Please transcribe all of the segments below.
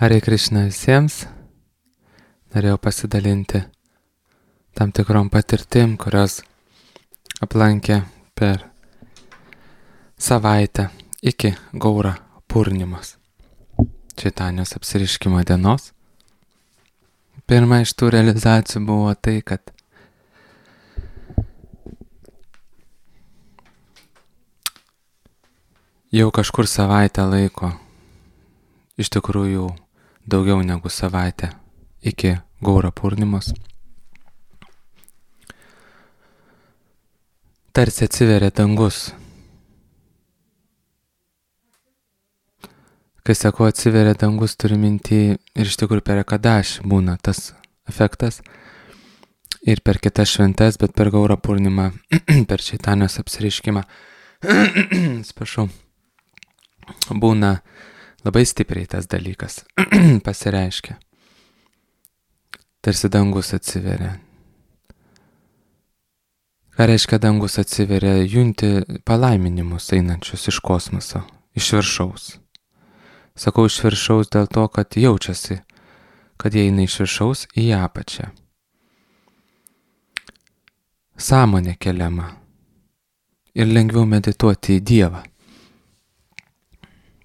Hare Krishna visiems. Norėjau pasidalinti tam tikrom patirtim, kurios aplankė per savaitę iki Gaura Purnimos, Čaitanijos apsiriškimo dienos. Pirma iš tų realizacijų buvo tai, kad jau kažkur savaitę laiko, iš tikrųjų daugiau negu savaitę iki Gaura Purnimos, tarsi atsiveria dangus. Kai sakau atsiveria dangus, turiu minty ir iš tikrųjų per Ekadašį būna tas efektas ir per kitas šventes, bet per Gaura Purnimą, per Čaitanijos apsireiškimą, atsiprašau, būna labai stipriai tas dalykas pasireiškia. Tarsi dangus atsiveria. Ką reiškia dangus atsiveria? Junti palaiminimus einančius iš kosmoso, iš viršaus. Sakau iš viršaus dėl to, kad jaučiasi, kad jie eina iš viršaus į apačią. Sąmonė keliama ir lengviau medituoti į Dievą.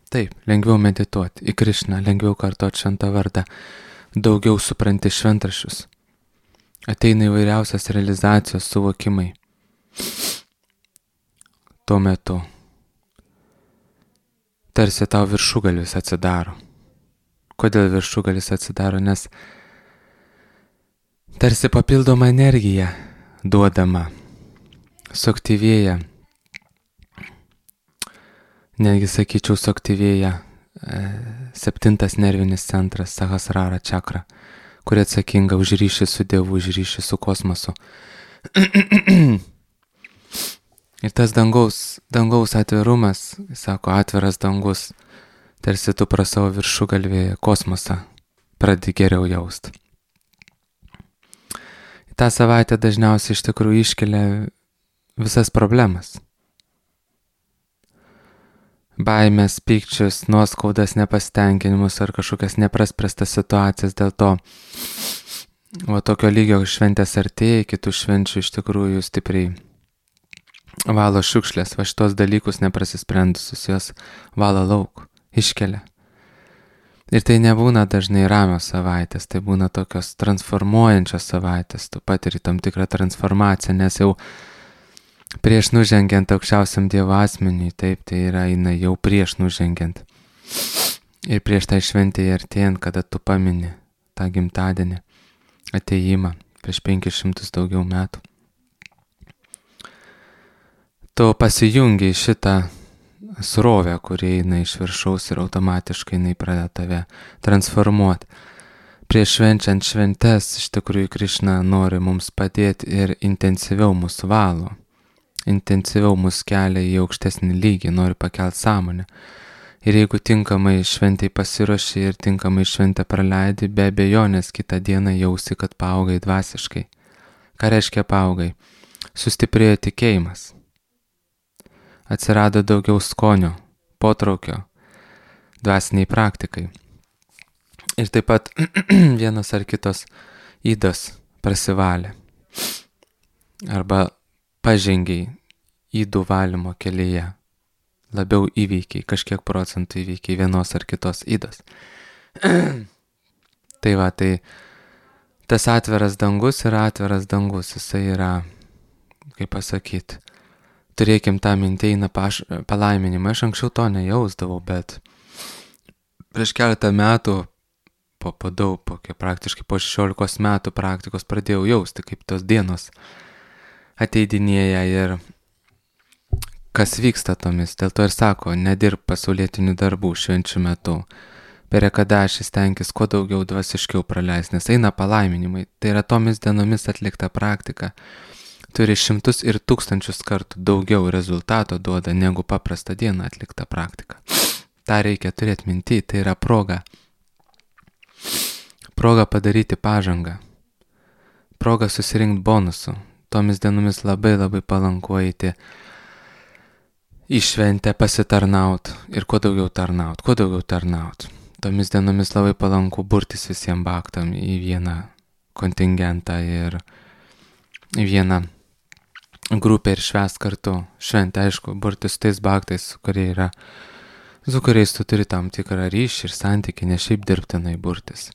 Taip, lengviau medituoti į Krišną, lengviau kartoti šventą vardą, daugiau supranti šventraščius. Ateina įvairiausias realizacijos suvokimai. Tuo metu tarsi tau viršugalis atsidaro. Kodėl viršugalis atsidaro? Nes tarsi papildoma energija duodama, suaktyvėja, netgi sakyčiau suaktyvėja 7 nervinis centras, Sahasrara čakra, kuri atsakinga už ryšį su Dievu, už ryšį su kosmosu. Ir tas dangaus atvirumas, sako, atviras dangus, tarsi tu pro savo viršugalvį kosmosą pradedi geriau jaust. Ta savaitė dažniausiai iš tikrųjų iškelia visas problemas. Baimės, pykčius, nuoskaudas, nepasitenkinimus ar kažkokias nepraspręstas situacijas. Dėl to tokio lygio šventės artėja, kitų švenčių iš tikrųjų stipriai valo šiukšlės, va šitos dalykus neprasisprendusius, jos valo lauk, iškelia. Ir tai nebūna dažnai ramios savaitės, tai būna tokios transformuojančios savaitės, tu patiri tam tikrą transformaciją, nes jau prieš nužengiant aukščiausiam Dievo asmeniui, taip, tai yra eina jau prieš nužengiant. Ir prieš tai šventėje artėjant, kada tu pamini tą gimtadienį, atėjimą prieš 500 daugiau metų. Tu pasijungi šitą srovę, kuri eina iš viršaus ir automatiškai jinai pradeda tave transformuoti. Prieš švenčiant šventes, iš tikrųjų Krišna nori mums padėti ir intensyviau mus valo, intensyviau mus kelia į aukštesnį lygį, nori pakelti sąmonę. Ir jeigu tinkamai šventai pasiruoši ir tinkamai šventę praleidi, be abejonės kitą dieną jausi, kad paaugai dvasiškai. Ką reiškia paaugai? Sustiprėjo tikėjimas. Atsirado daugiau skonio, potraukio, dvasiniai praktikai. Ir taip pat vienos ar kitos ydos prasivalė. Arba pažengiai ydų valymo kelyje. Labiau įveikiai, kažkiek procentų įveikiai vienos ar kitos ydos. Tai va, tai tas atviras dangus yra atviras dangus. Jisai yra, kaip pasakyti, turėkim tą mintį, eina palaiminimą. Aš anksčiau to nejausdavau, bet prieš keletą metų, praktiškai po 16 metų praktikos pradėjau jausti, kaip tos dienos ateidinėja ir kas vyksta tomis. Dėl to ir sako, nedirb pasaulietinių darbų švenčių metu. Per Ekadašį stenkis kuo daugiau dvasiškiau praleis, nes eina palaiminimai. Tai yra tomis dienomis atlikta praktika. Turi 100 ir 1000 kartų daugiau rezultato duoda negu paprastą dieną atlikta praktika. Ta reikia turėti minty, tai yra proga. Proga padaryti pažangą. Proga susirinkti bonusų. Tomis dienomis labai palanku eiti į šventę pasitarnaut ir kuo daugiau tarnaut. tomis dienomis labai palanku burtis visiems bhaktam į vieną kontingentą ir į vieną grupę ir švęst kartu šventę, aišku, burtis tais bhaktais, su kuriais tu turi tam tikrą ryšį ir santykį, ne šiaip dirbtinai burtis.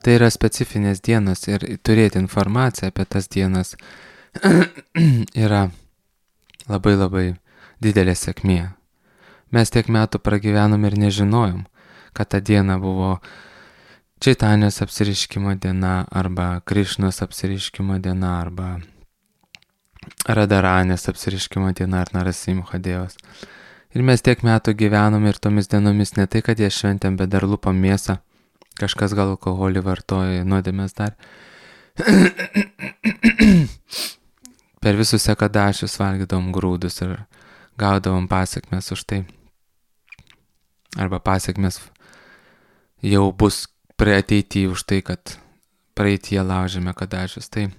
Tai yra specifinės dienos ir turėti informaciją apie tas dienas yra labai labai didelė sėkmė. Mes tiek metų pragyvenom ir nežinojom, kad ta diena buvo Čaitanijos apsireiškimo diena arba Krišnos apsireiškimo diena arba Radaranės apsireiškimo diena ar Narasimha Dievas. Ir mes tiek metų gyvenom ir tomis dienomis ne tai, kad jie šventėm, bet dar lupam mėsą. Kažkas gal alkoholį vartoja, nuodėmės dar. Per visus sekadašius valgydavom grūdus ir gaudavom pasiekmes už tai. Arba pasiekmes jau bus prie ateityje už tai, kad praeitie laužėme kadašius. Tai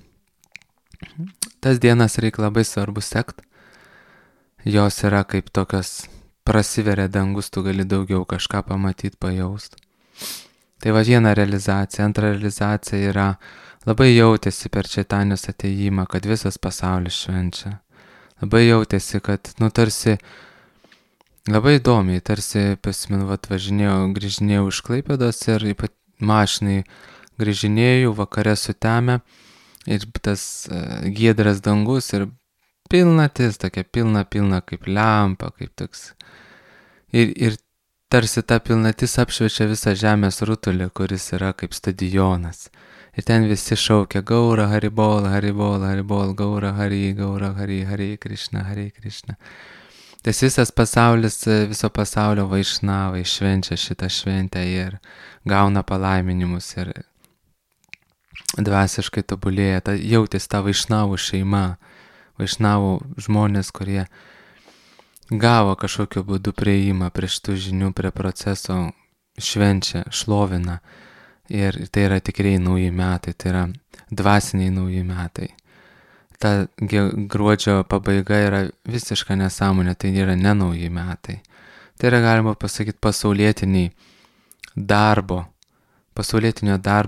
tas dienas reikia labai svarbu sekt. Jos yra kaip tokios prasiveria dangus, tu gali daugiau kažką pamatyti, pajaust. Tai va viena realizacija. Antra realizacija yra labai jautėsi per Čaitanijos atėjimą, kad visas pasaulis švenčia. Labai jautėsi, kad, tarsi, labai įdomiai, tarsi pasimenu, grįžinėjau iš Klaipėdos ir mašinai grįžinėjau, vakare sutemę ir tas giedras dangus ir pilnatis, tokia pilna kaip lempa, kaip toks. Ir tarsi ta pilnatis apšviečia visą žemės rutulį, kuris yra kaip stadionas. Ir ten visi šaukia Gaura Haribol, Haribol, Haribol, Gaura Hari, Hari Krishna, Hari Krishna. Tas visas pasaulis, viso pasaulio vaišnavai švenčia šitą šventę ir gauna palaiminimus ir dvasiškai tobulėja. Jautės ta vaišnavų šeima, vaišnavų žmonės, kurie gavo kažkokiu būdu prieimą prie šitų žinių, prie proceso, švenčia, šlovina. Ir tai yra tikrai nauji metai, tai yra dvasiniai nauji metai. Ta gruodžio pabaiga yra visiška nesąmonė, tai yra ne nauji metai. Tai yra, galima pasakyti, pasaulietinio darbo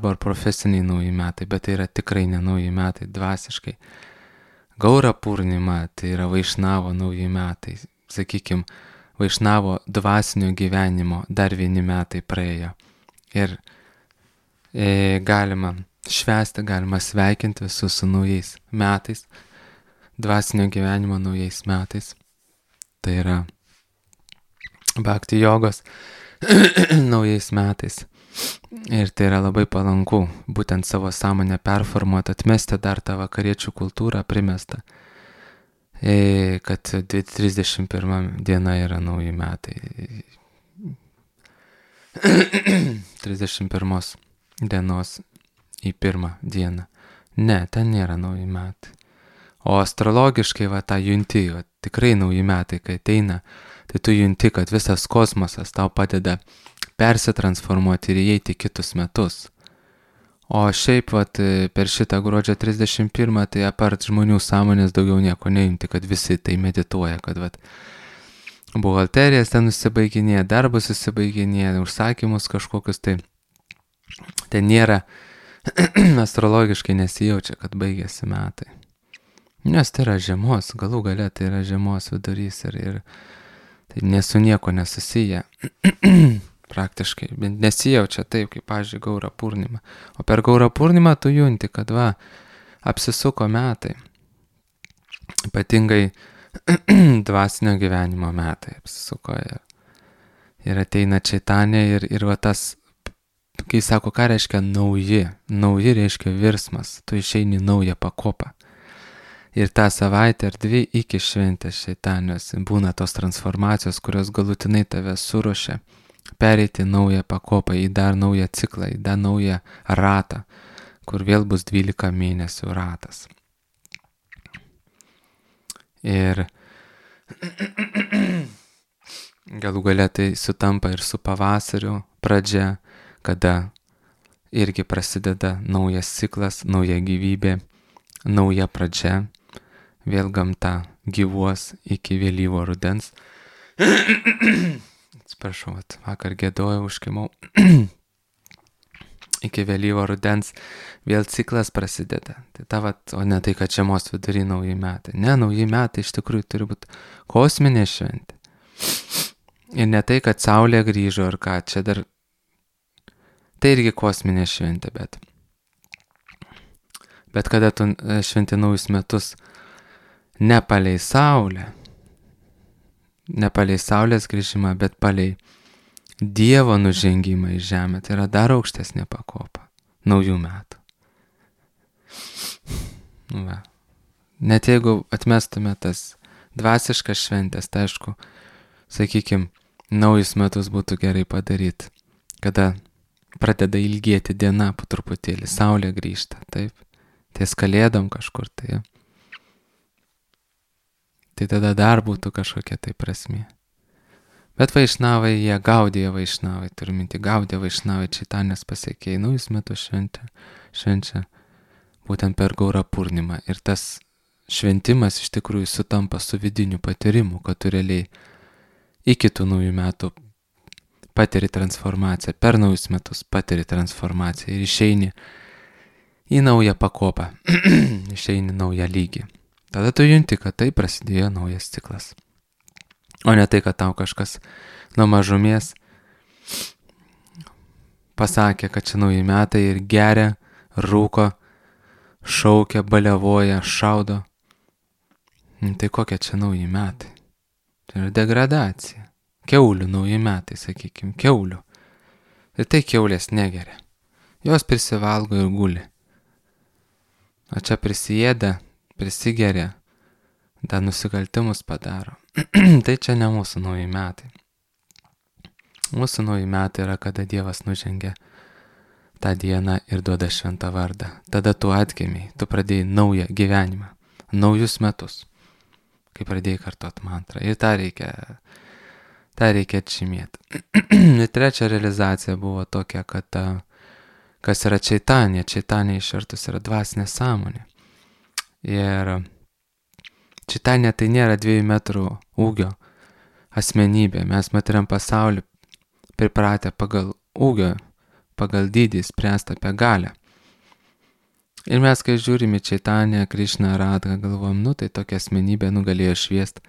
ar profesiniai nauji metai, bet tai yra tikrai ne nauji metai, dvasiškai. Gaura Purnima, tai yra vaišnavo nauji metai. Sakykime, vaišnavo dvasinio gyvenimo dar vieni metai praėjo. Ir galima švęsti, galima sveikinti visus su naujais metais, dvasinio gyvenimo naujais metais. Tai yra bhakti jogos naujais metais. Ir tai yra labai palanku, būtent savo sąmonę performuoti, atmesti dar tą vakariečių kultūrą primestą. Kad 31 diena yra nauji metai. 31 dienos į pirmą dieną. Ne, ten nėra nauji metai. O astrologiškai tą junti, tikrai nauji metai, kai ateina, tai tu junti, kad visas kosmosas tau padeda persitransformuoti ir įeiti kitus metus. O šiaip per šitą gruodžio 31, tai apart žmonių sąmonės daugiau nieko neimti, kad visi tai medituoja, kad buhalterijas ten nusibaiginėja, darbus susibaiginėja, užsakymus kažkokius, tai ten nėra, astrologiškai nesijaučia, kad baigėsi metai. Nes tai yra žiemos, galų gale tai yra žiemos vidurys ir tai nesu nieko nesusiję. Praktiškai, bet nesijaučia taip, kaip, pavyzdžiui, Gaura Purnima. O per Gaura Purnimą tu junti, kad apsisuko metai. Ypatingai dvasinio gyvenimo metai apsisuko. Ir ateina Čaitanija ir tas, kai sako, ką reiškia nauji. Nauji reiškia virsmas, tu išeini naują pakopą. Ir tą savaitę ar dvi iki šventės Čaitanijos būna tos transformacijos, kurios galutinai tave suruošia pereiti naują pakopą, į dar naują ciklą, į dar naują ratą, kur vėl bus 12 mėnesių ratas. Ir galų gale tai sutampa ir su pavasariu pradžia, kada irgi prasideda naujas ciklas, nauja gyvybė, nauja pradžia, vėl gamta gyvuos iki vėlyvo rudens. Atsiprašau, vakar gėdojau, užkimau. Iki vėlyvo rudens vėl ciklas prasideda. O ne tai, kad žiemos vidury nauji metai. Ne, nauji metai iš tikrųjų turi būti kosminė šventė. Ir ne tai, kad saulė grįžo ar ką, čia dar... Tai irgi kosminė šventė, bet kada tu šventi naujus metus ne palei saulę, ne palei saulės grįžimą, bet palei Dievo nužengimą į žemę, tai yra dar aukštesnė pakopa naujų metų. Va. Net jeigu atmestume tas dvasiškas šventės, tai aišku, sakykime, naujus metus būtų gerai padaryti, kada pradeda ilgėti diena po truputėlį, saulė grįžta, taip, ties kalėdom kažkur, tai. Tai tada dar būtų kažkokia tai prasmė. Bet vaišnavai, jie Gaudija vaišnavai, turiu minti, Gaudija vaišnavai, Čaitanės pasiekėjai, naujus metus švenčia būtent per Gaura Purnimą. Ir tas šventimas iš tikrųjų sutampa su vidiniu patyrimu, kad tu realiai iki tų naujų metų patiri transformaciją, per naujus metus patiri transformaciją ir išeini į naują pakopą, išeini naują lygį. Tada tu junti, kad tai prasidėjo naujas ciklas. O ne tai, kad tau kažkas nuo mažumės pasakė, kad čia nauji metai ir geria, rūko, šaukia, baliavoja, šaudo. Tai kokie čia nauji metai? Tai yra degradacija. Kiaulių nauji metai, sakykime, kiaulių. Ir tai kiaulės negeria. Jos prisivalgo ir guli. O čia prisiėda, prisigeria, dar nusikaltimus padaro. Tai čia ne mūsų nauji metai. Mūsų nauji metai yra, kada Dievas nužengia tą dieną ir duoda šventą vardą. Tada tu atgimiai, tu pradėjai naują gyvenimą, naujus metus, kai pradėjai kartot mantrą. Ir tą reikia atžymėti. Ir trečia realizacija buvo tokia, kad kas yra Čaitanė. Čaitanė išvertus yra dvasinė sąmonė. Ir Čaitanė tai nėra 2 metrų ūgio asmenybė. Mes matiriam pasaulį pripratę pagal ūgio, pagal dydį spręsti apie galią. Ir mes, kai žiūrime Čaitanę, Krišną, Radhą, galvom, tai tokia asmenybė galėjo šviest,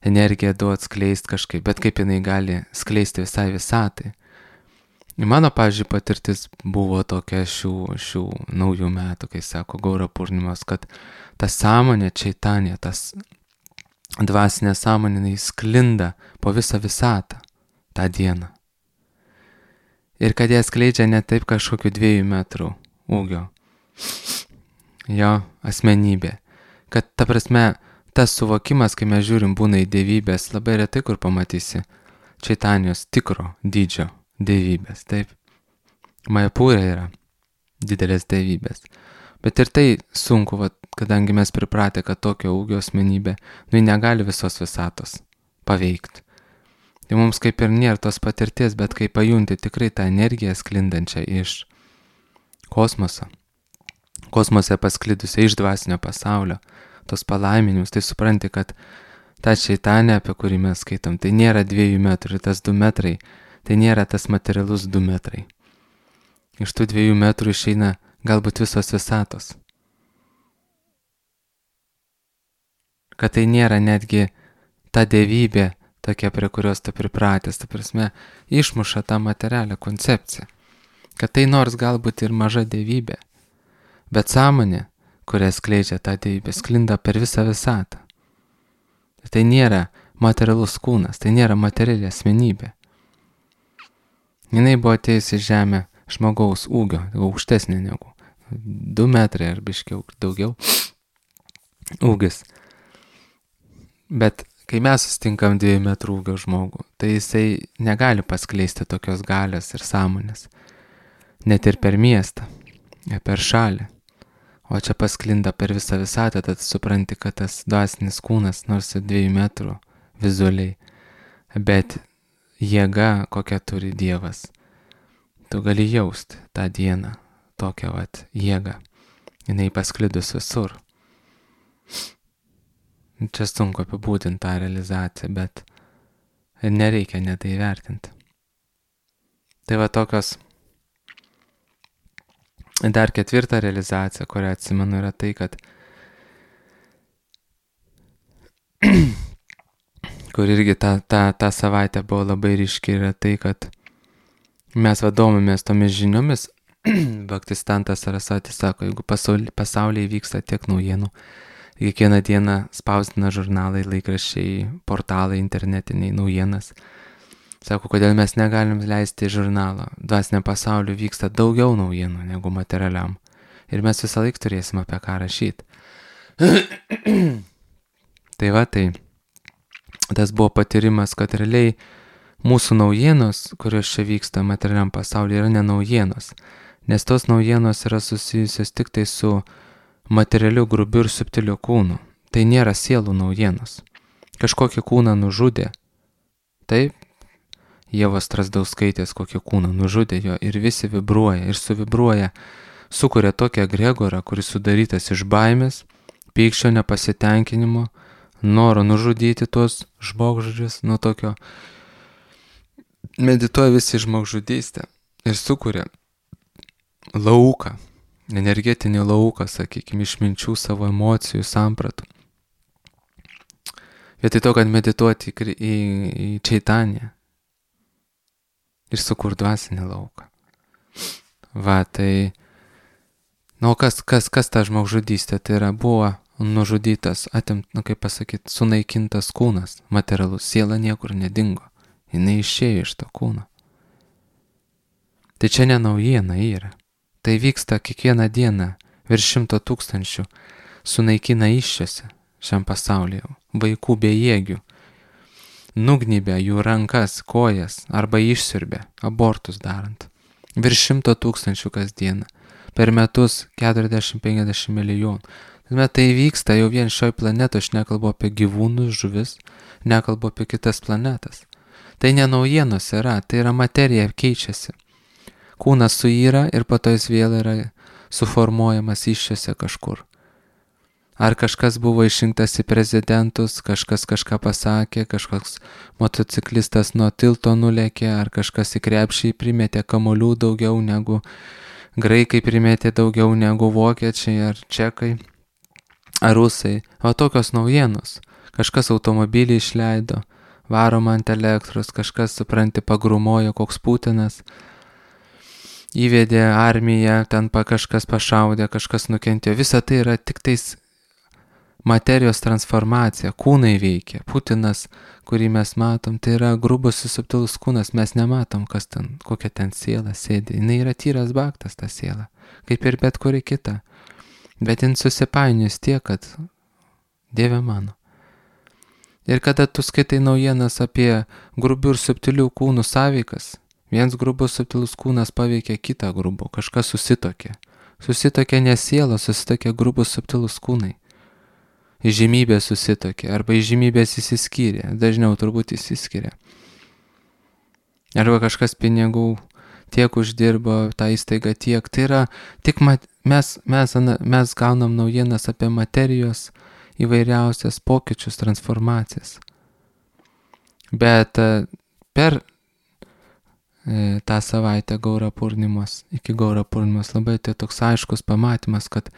energiją duot, skleist kažkaip, bet kaip jinai gali skleisti visai visatai. Ir mano, pavyzdžiui, patirtis buvo tokia šių naujų metų, kai sako Gaura Purnimos, kad ta sąmonė Čaitanė, tas dvasinė sąmonė, jinai sklinda po visą visatą tą dieną. Ir kad ją skleidžia ne taip kažkokiu 2 metrų ūgio jo asmenybė. Kad ta prasme, tas suvokimas, kai mes žiūrim, būna į dievybės, labai retai kur pamatysi Čaitanijos tikro dydžio dievybės, taip. Majapūrė yra didelės dievybės. Bet ir tai sunku, kadangi mes pripratę, kad tokio ūgio asmenybė, negali visos visatos paveikti. Tai mums kaip ir nėra tos patirties, bet kai pajunti tikrai tą energiją sklindančią iš kosmoso, kosmose pasklidusią iš dvasinio pasaulio, tos palaiminimus, tai supranti, kad ta Čaitanė, apie kurį mes skaitom, tai nėra 2 metrų, tas 2 metrai, tai nėra tas materialus 2 metrai. Iš tų 2 metrų išeina galbūt visos visatos. Kad tai nėra netgi ta dievybė, tokia, prie kurios tu pripratęs, ta prasme, išmuša tą materialią koncepciją. Kad tai nors galbūt ir maža dievybė, bet sąmonė, kurią skleidžia tą dievybę, sklinda per visą visatą. Tai nėra materialus kūnas, tai nėra materiali asmenybė. Jinai buvo atėjusi į žemę žmogaus ūgio, aukštesnė negu 2 metrai ar biškiau daugiau ūgis. Bet kai mes susitinkam 2 metrų ūgio žmogų, tai jisai negali paskleisti tokios galios ir sąmonės. Net ir per miestą, per šalį. O čia pasklinda per visą visatą, tad supranti, kad tas dvasinis kūnas nors 2 metrų vizualiai, bet jėga, kokią turi Dievas. Tu gali jausti tą dieną, tokią jėgą. Jinai pasklidus visur. Čia sunku apibūdinti tą realizaciją, bet Ir nereikia net įvertinti. Tai va tokios. Dar ketvirta realizacija, kurią atsimenu, yra tai, kad kur irgi tą savaitę buvo labai ryški, yra tai, kad mes vadomėmės tomis žiniomis. Bhaktistantas Sarasvati sako, jeigu pasaulyje vyksta tiek naujienų, kiekvieną dieną spausdina žurnalai, laikraščiai, portalai, internetiniai naujienas. Sako, kodėl mes negalim leisti žurnalo. Dvasiniam pasauliu vyksta daugiau naujienų negu materialiam. Ir mes visą laiką turėsim apie ką rašyti. Tai va, tai tas buvo patyrimas, kad realiai mūsų naujienos, kurios čia vyksta materialiam pasaulyje, yra ne naujienos. Nes tos naujienos yra susijusios tik tai su materialiu, grubiu ir subtiliu kūnu. Tai nėra sielų naujienos. Kažkokį kūną nužudė. Taip, Ievos Strazdauskaitės kokį kūną nužudė jo ir visi vibruoja ir suvibruoja, sukuria tokį egregorą, kuris sudarytas iš baimės, pykčio, nepasitenkinimo, noro nužudyti tuos žmogžudžius, nuo tokio medituoja visi žmogžudystę ir sukuria lauką, energetinį lauką, sakykime, iš minčių, savo emocijų, sampratų. Vietoj to, kad medituoti į Čaitanją ir sukur dvasinį lauką. Va, tai, kas ta žmogžudystė? Tai yra, buvo nužudytas, kaip pasakyti, sunaikintas kūnas, materialus, siela niekur nedingo. Jinai išėjo iš to kūno. Tai čia ne naujiena yra. Tai vyksta kiekvieną dieną, virš 100 000 sunaikina iššiose šiam pasaulyje, vaikų bejėgių, nugnybė jų rankas, kojas arba išsiurbė, abortus darant. Virš 100 000 kasdieną, per metus 40-50 milijonų. Tai vyksta jau vien šioj planetoje, aš nekalbu apie gyvūnus, žuvis, nekalbu apie kitas planetas. Tai ne naujienos yra, tai yra materija keičiasi. Kūnas suyra ir po to jis vėl yra suformuojamas iššiose kažkur. Ar kažkas buvo išrinktas į prezidentus, kažkas kažką pasakė, kažkoks motociklistas nuo tilto nulėkė, ar kažkas į krepšį primetė kamuolių daugiau negu graikai primetė daugiau negu vokiečiai ar čekai, ar rusai. O tokios naujienos. Kažkas automobilį išleido, varoma ant elektros, kažkas, supranti, pagrumojo, koks Putinas. Įvedė armiją, ten kažkas pašaudė, kažkas nukentėjo. Visa tai yra tik tais materijos transformacija, kūnai veikia. Putinas, kurį mes matom, tai yra grubus ir subtilus kūnas, mes nematom, kas ten, kokia ten siela sėdi. Jis yra tyras baktas, ta siela, kaip ir bet kuri kita. Bet jin susipainius tiek, kad Dieve mano. Ir kada tu skaitai naujienas apie grubių ir subtilių kūnų sąveikas, viens grubus subtilus kūnas paveikia kitą grubų, kažkas susitokė. Susitokė ne siela, susitokė grubus subtilus kūnai. Įžymybė susitokė, arba įžymybės įsiskyrė, dažniau turbūt įsiskiria. Arba kažkas pinigų tiek uždirbo, tą įstaigą tiek. Tai yra, tik mes gaunam naujienas apie materijos įvairiausias pokyčius, transformacijas. Bet per tą savaitę Gaura Purnimos, iki Gaura Purnimos labai tai toks aiškus pamatymas, kad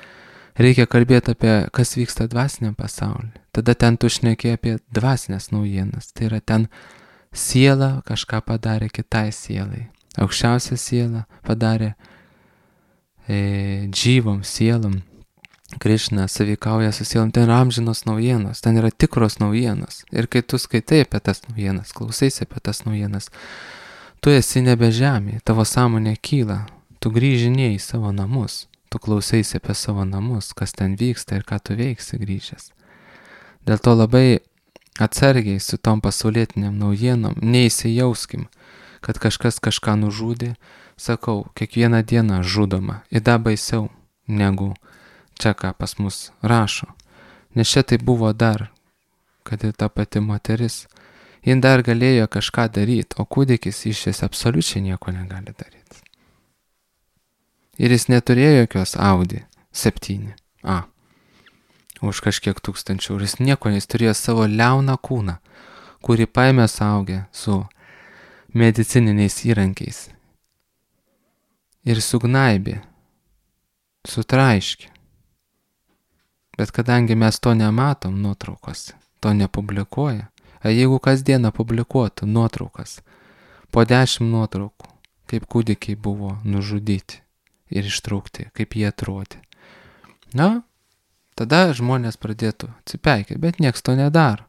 reikia kalbėti apie, kas vyksta dvasiniam pasaulyje. Tada ten tu šneki apie dvasinės naujienas. Tai yra ten siela kažką padarė kitai sielai. Aukščiausia siela padarė džyvom, sielom. Krišna savikauja su sielom. Ten yra amžinos naujienos, ten yra tikros naujienos. Ir kai tu skaitai apie tas naujienas, klausaisi apie tas naujienas, tu esi nebe žemėje, tavo sąmonė kyla, tu grįžinėjai į savo namus. Tu klausaisi apie savo namus, kas ten vyksta ir ką tu veiksi grįžęs. Dėl to labai atsargiai su tom pasaulietiniam naujienom neįsijauskim, kad kažkas kažką nužudė. Sakau, kiekvieną dieną žudoma, įda baisiau negu čia ką pas mus rašo. Nes čia tai buvo dar, kad ir ta pati moteris, jin dar galėjo kažką daryti, o kūdikis iš jis absoliučiai nieko negali daryti. Ir jis neturėjo jokios Audi 7A už kažkiek tūkstančių. Ir jis nieko, jis turėjo savo liauną kūną. kurį paėmė saugę su medicininiais įrankiais ir sugnaibė, sutraiškė. Bet kadangi mes to nematom nuotraukose, to nepublikuoja, o jeigu kasdieną publikuotų nuotraukas, po 10 nuotraukų, kaip kūdikiai buvo nužudyti ir ištraukti, kaip jie atrodė. Na, tada žmonės pradėtų atsipeikėti, bet nieks to nedaro.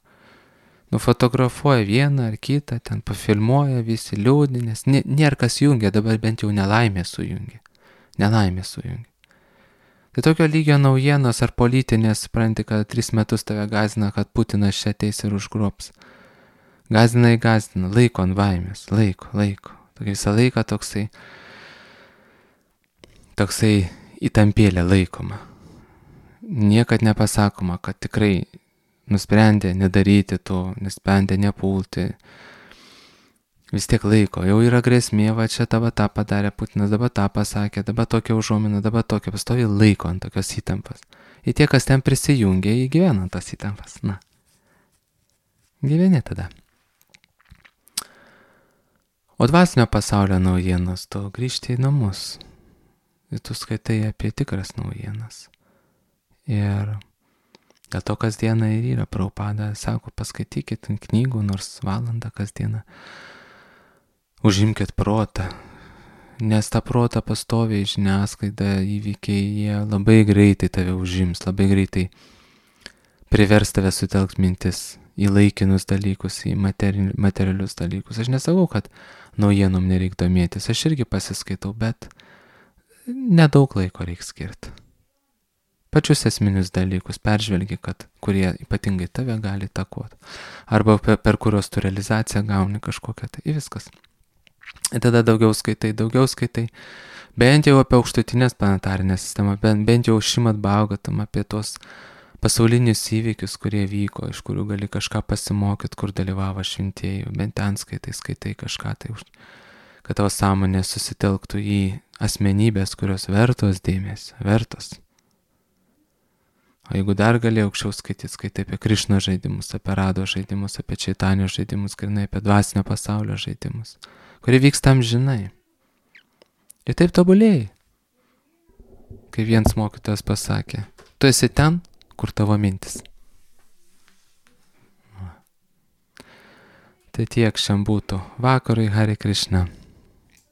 Nufotografuoja vieną ar kitą, ten pafilmuoja, visi liūdi, nes nėra kas jungia, dabar bent jau nelaimė sujungia. Tai tokio lygio naujienos ar politinės, supranti, kad 3 metus tave gazina, kad Putinas čia ateis ir užgrobs. Gazina, laiko ant baimės, laiko. Tokia visą laiką toksai įtampėlė laikoma. Niekad nepasakoma, kad tikrai nusprendė nedaryti to, nusprendė nepulti. Vis tiek laiko, jau yra grėsmė, va čia dabar tą padarė Putinas, dabar tą pasakė, dabar tokia užuomina, dabar tokia, pastovi laiko ant tokios įtampas. Ir tie, kas ten prisijungia, įgyvena tas įtampas. Na, gyveni tada. O dvasinio pasaulio naujienos, tu grįžti į namus. Ir tu skaitai apie tikras naujienas. Ir dėl to kasdieną ir yra Prabhupada, sako, paskaitykit knygų nors valandą kasdieną. Užimkit protą, nes tą protą pastoviai žiniasklaida įvykiai, jie labai greitai tave užims, labai greitai privers tave sutelkt mintis į laikinus dalykus, į materialius dalykus. Aš nesakau, kad naujienom nereik domėtis, aš irgi pasiskaitau, bet nedaug laiko reik skirti. Pačius esminius dalykus peržvelgi, kurie ypatingai tave gali įtakoti, arba per kurios tu realizaciją gauni kažkokią, tai viskas. Ir tada daugiau skaitai, bent jau apie aukštutinės planetarinę sistemą, bent jau Šrimad Bhagavatam, apie tos pasaulinius įvykius, kurie vyko, iš kurių gali kažką pasimokyti, kur dalyvavo šventieji, bent ten skaitai kažką, tai kad tavo sąmonė susitelktų į asmenybės, kurios vertos dėmesio, vertos. O jeigu dar gali aukščiau skaitai apie Krišnos žaidimus, apie Rado žaidimus, apie Čaitanio žaidimus, grynai apie dvasinio pasaulio žaidimus, kurie vyksta amžinai. Ir taip tobulėjai. Kai vienas mokytojas pasakė, tu esi ten, kur tavo mintis. Tai tiek šiandien būtų. Vakarui Hare Krishna.